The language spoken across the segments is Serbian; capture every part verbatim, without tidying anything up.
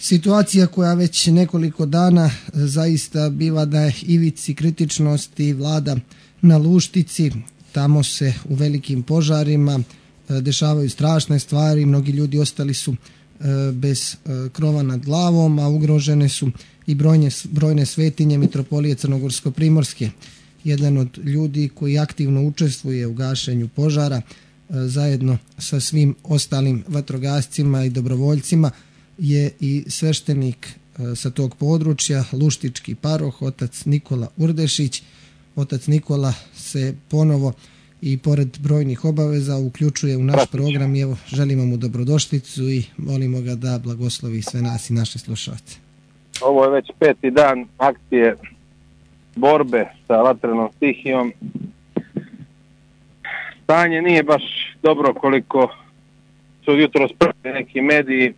situacija koja već nekoliko dana zaista biva da je ivici kritičnosti vlada na Luštici. Tamo se u velikim požarima dešavaju strašne stvari, mnogi ljudi ostali su bez krova nad glavom, a ugrožene su i brojne, brojne svetinje Mitropolije Crnogorsko-primorske. Jedan od ljudi koji aktivno učestvuje u gašenju požara zajedno sa svim ostalim vatrogascima i dobrovoljcima je i sveštenik sa tog područja, luštički paroh, otac Nikola Urdešić. Otac Nikola se ponovo i pored brojnih obaveza uključuje u naš program i evo želimo mu dobrodošlicu i molimo ga da blagoslovi sve nas i naše slušalce. Ovo je već peti dan akcije borbe sa vatrenom stihijom. Stanje nije baš dobro koliko su jutro spremni neki mediji.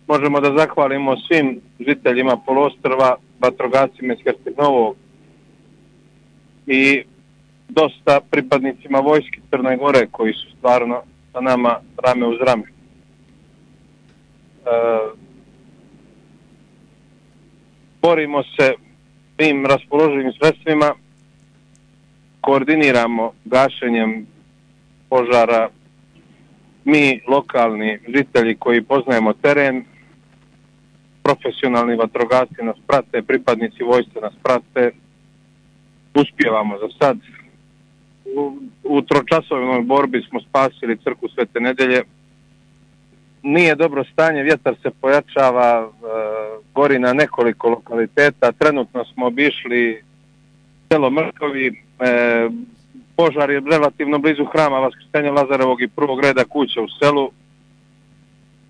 Možemo da zahvalimo svim žiteljima poluostrva, vatrogascima iz Herceg Novog i dosta pripadnicima vojske Crne Gore koji su stvarno sa nama rame uz rame. E, borimo se svim raspoloživim sredstvima, koordiniramo gašenjem požara mi lokalni žitelji koji poznajemo teren, profesionalni vatrogasci nas prate, pripadnici vojske nas prate, uspijevamo za sad. U, u tročasovnoj borbi smo spasili crkvu Svete Nedelje. Nije dobro stanje, vjetar se pojačava, e, gori na nekoliko lokaliteta. Trenutno smo obišli selo Mrkovi, e, požar je relativno blizu hrama Vaskrsenja Lazarevog i prvog reda kuća u selu.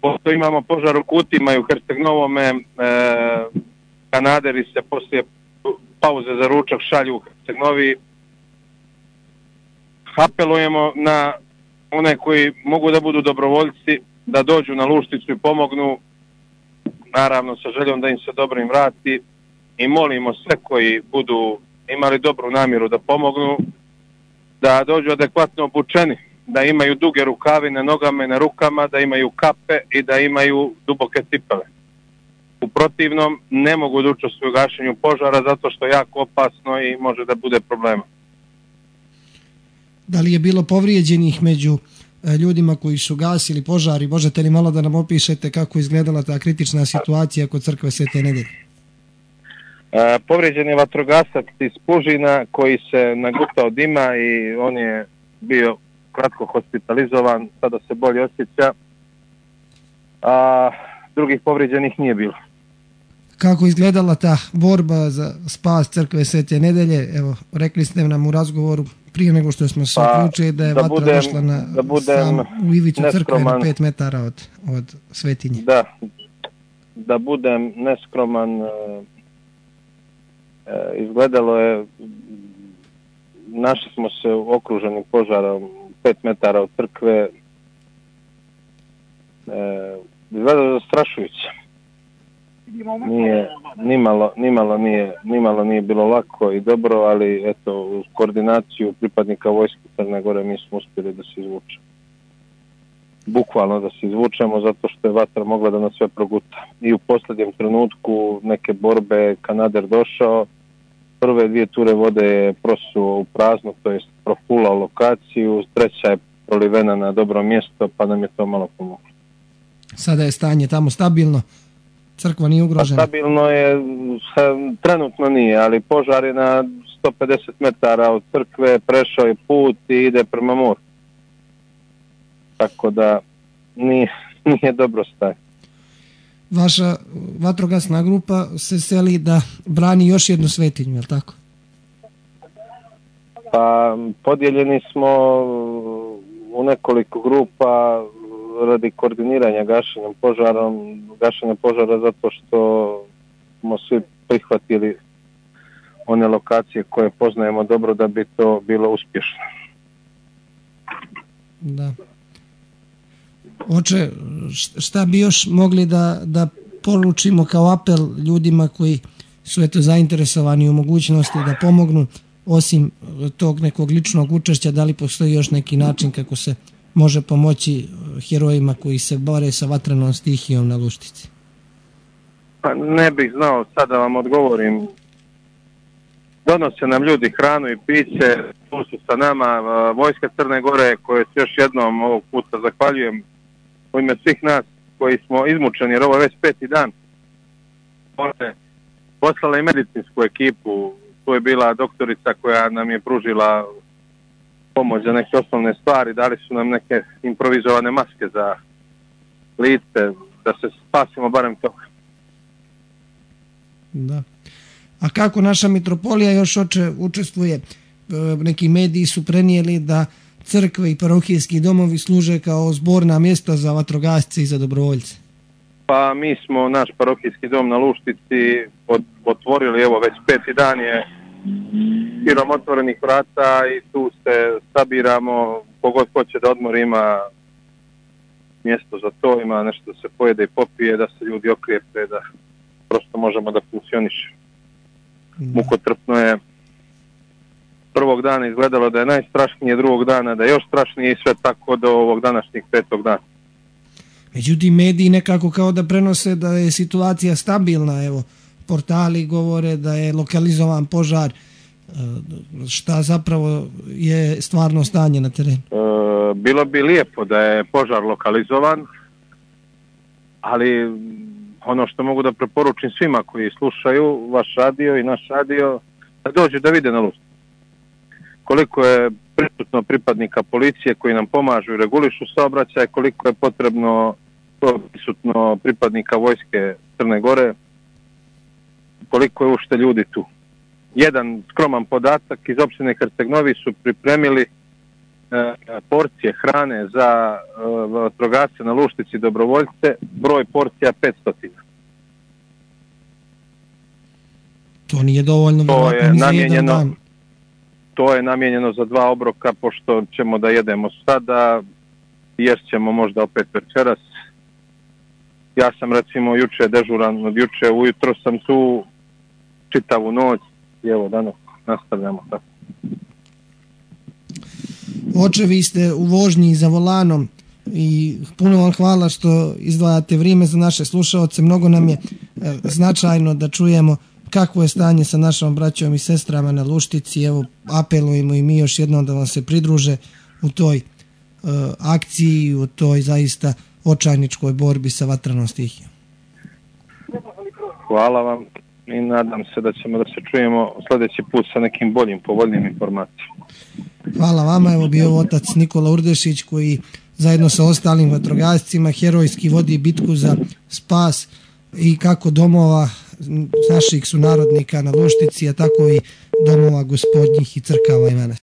Posto imamo požar u Kutima i u Herceg Novome, e, kanaderi se poslije pauze za ručak šalju u Herceg Novi. Apelujemo na one koji mogu da budu dobrovoljci, da dođu na Lušticu i pomognu, naravno sa željom da im se dobro im vrati, i molimo sve koji budu imali dobru namjeru da pomognu, da dođu adekvatno obučeni, da imaju duge rukave na nogama i na rukama, da imaju kape i da imaju duboke cipele. U protivnom ne mogu da učestvuju u gašenju požara zato što je jako opasno i može da bude problema. Da li je bilo povrijeđenih među ljudima koji su gasili požari? Možete li malo da nam opišete kako izgledala ta kritična situacija kod crkve Svete Nedelje? E, povrijeđen je vatrogasac iz Pužina koji se nagutao dima i on je bio kratko hospitalizovan, sada se bolje osjeća, a drugih povrijeđenih nije bilo. Kako izgledala ta borba za spas crkve Svete Nedelje? Evo, rekli ste nam u razgovoru prije nego što smo se pa, uključili da je da vatra budem, došla na da sam u ivicu crkve na pet metara od, od svetinje. Da, da budem neskroman, e, e, izgledalo je, našli smo se okruženi požarom pet metara od crkve, e, izgledalo je zastrašujuće. Nije, nimalo, nimalo, nije, nimalo nije bilo lako i dobro, ali eto, uz koordinaciju pripadnika vojske Crne Gore mi smo uspjeli da se izvučemo. Bukvalno da se izvučemo zato što je vatra mogla da nas sve proguta. I u posljednjem trenutku neke borbe kanader došao, prve dvije ture vode je prosuo u prazno, to je profulao lokaciju, treća je prolivena na dobro mjesto, pa nam je to malo pomoglo. Sada je stanje tamo stabilno? Crkva nije ugrožena? Pa stabilno je, trenutno nije, ali požar je na sto pedeset metara od crkve, prešao je put i ide prema moru. Tako da nije, nije dobro stanje. Vaša vatrogasna grupa se seli da brani još jednu svetinju, je li tako? Pa podijeljeni smo u nekoliko grupa radi koordiniranja gašenjem požarom, gašenja požara zato što smo svi prihvatili one lokacije koje poznajemo dobro da bi to bilo uspješno. Da. Oče, šta bi još mogli da, da poručimo kao apel ljudima koji su eto zainteresovani u mogućnosti da pomognu, osim tog nekog ličnog učešća, da li postoji još neki način kako se može pomoći herojima koji se bore sa vatrenom stihijom na Luštici? Pa ne bih znao sad da vam odgovorim. Donose nam ljudi hranu i piće, tu su sa nama vojska Crne Gore, koje se još jednom ovog puta zahvaljujem u ime svih nas koji smo izmučeni, jer ovo je već peti dan. Poslala i medicinsku ekipu, tu je bila doktorica koja nam je pružila pomoć za neke osnovne stvari, dali su nam neke improvizovane maske za lice, da se spasimo barem toga. Da. A kako naša mitropolija još oče učestvuje? Neki mediji su prenijeli da crkve i parohijski domovi služe kao zborna mjesta za vatrogasce i za dobrovoljce. Pa mi smo naš parohijski dom na Luštici otvorili, evo već peti dan je širom otvorenih vrata i tu se sabiramo, kogod hoće da odmori ima mjesto za to, ima nešto da se pojede i popije, da se ljudi okrijepe, da prosto možemo da funkcionišemo. Mukotrpno je. Prvog dana izgledalo da je najstrašnije, drugog dana da je još strašnije i sve tako do ovog današnjeg petog dana. Međutim, mediji nekako kao da prenose da je situacija stabilna, evo, portali govore da je lokalizovan požar. Šta zapravo je stvarno stanje na terenu? E, bilo bi lijepo da je požar lokalizovan, ali ono što mogu da preporučim svima koji slušaju vaš radio i naš radio, da dođu da vide na Luštici. Koliko je prisutno pripadnika policije koji nam pomažu i regulišu saobraćaj, koliko je potrebno prisutno pripadnika vojske Crne Gore, koliko je ušte ljudi tu. Jedan skroman podatak, iz opštine Herceg Novi su pripremili e, porcije hrane za e, vatrogasce na Luštici dobrovoljce, broj porcija petsto. To nije dovoljno, to je za jedan dan. To je namijenjeno za dva obroka, pošto ćemo da jedemo sada, ješćemo možda opet večeras. Ja sam recimo juče dežuran, od juče ujutro sam tu čitavu noć i evo danas nastavljamo tako. Oče, vi ste u vožnji za volanom i puno vam hvala što izdvajate vrijeme za naše slušaoce. Mnogo nam je e, značajno da čujemo kakvo je stanje sa našom braćom i sestrama na Luštici. Evo, apelujemo i mi još jednom da vam se pridruže u toj e, akciji, u toj zaista očajničkoj borbi sa vatranom stihijom. Hvala vam i nadam se da ćemo da se čujemo sljedeći put sa nekim boljim, povoljnim informacijama. Hvala vama, evo bio otac Nikola Urdešić koji zajedno sa ostalim vatrogascima herojski vodi bitku za spas i kako domova naših sunarodnika na Luštici, a tako i domova gospodnjih i crkava i manastira.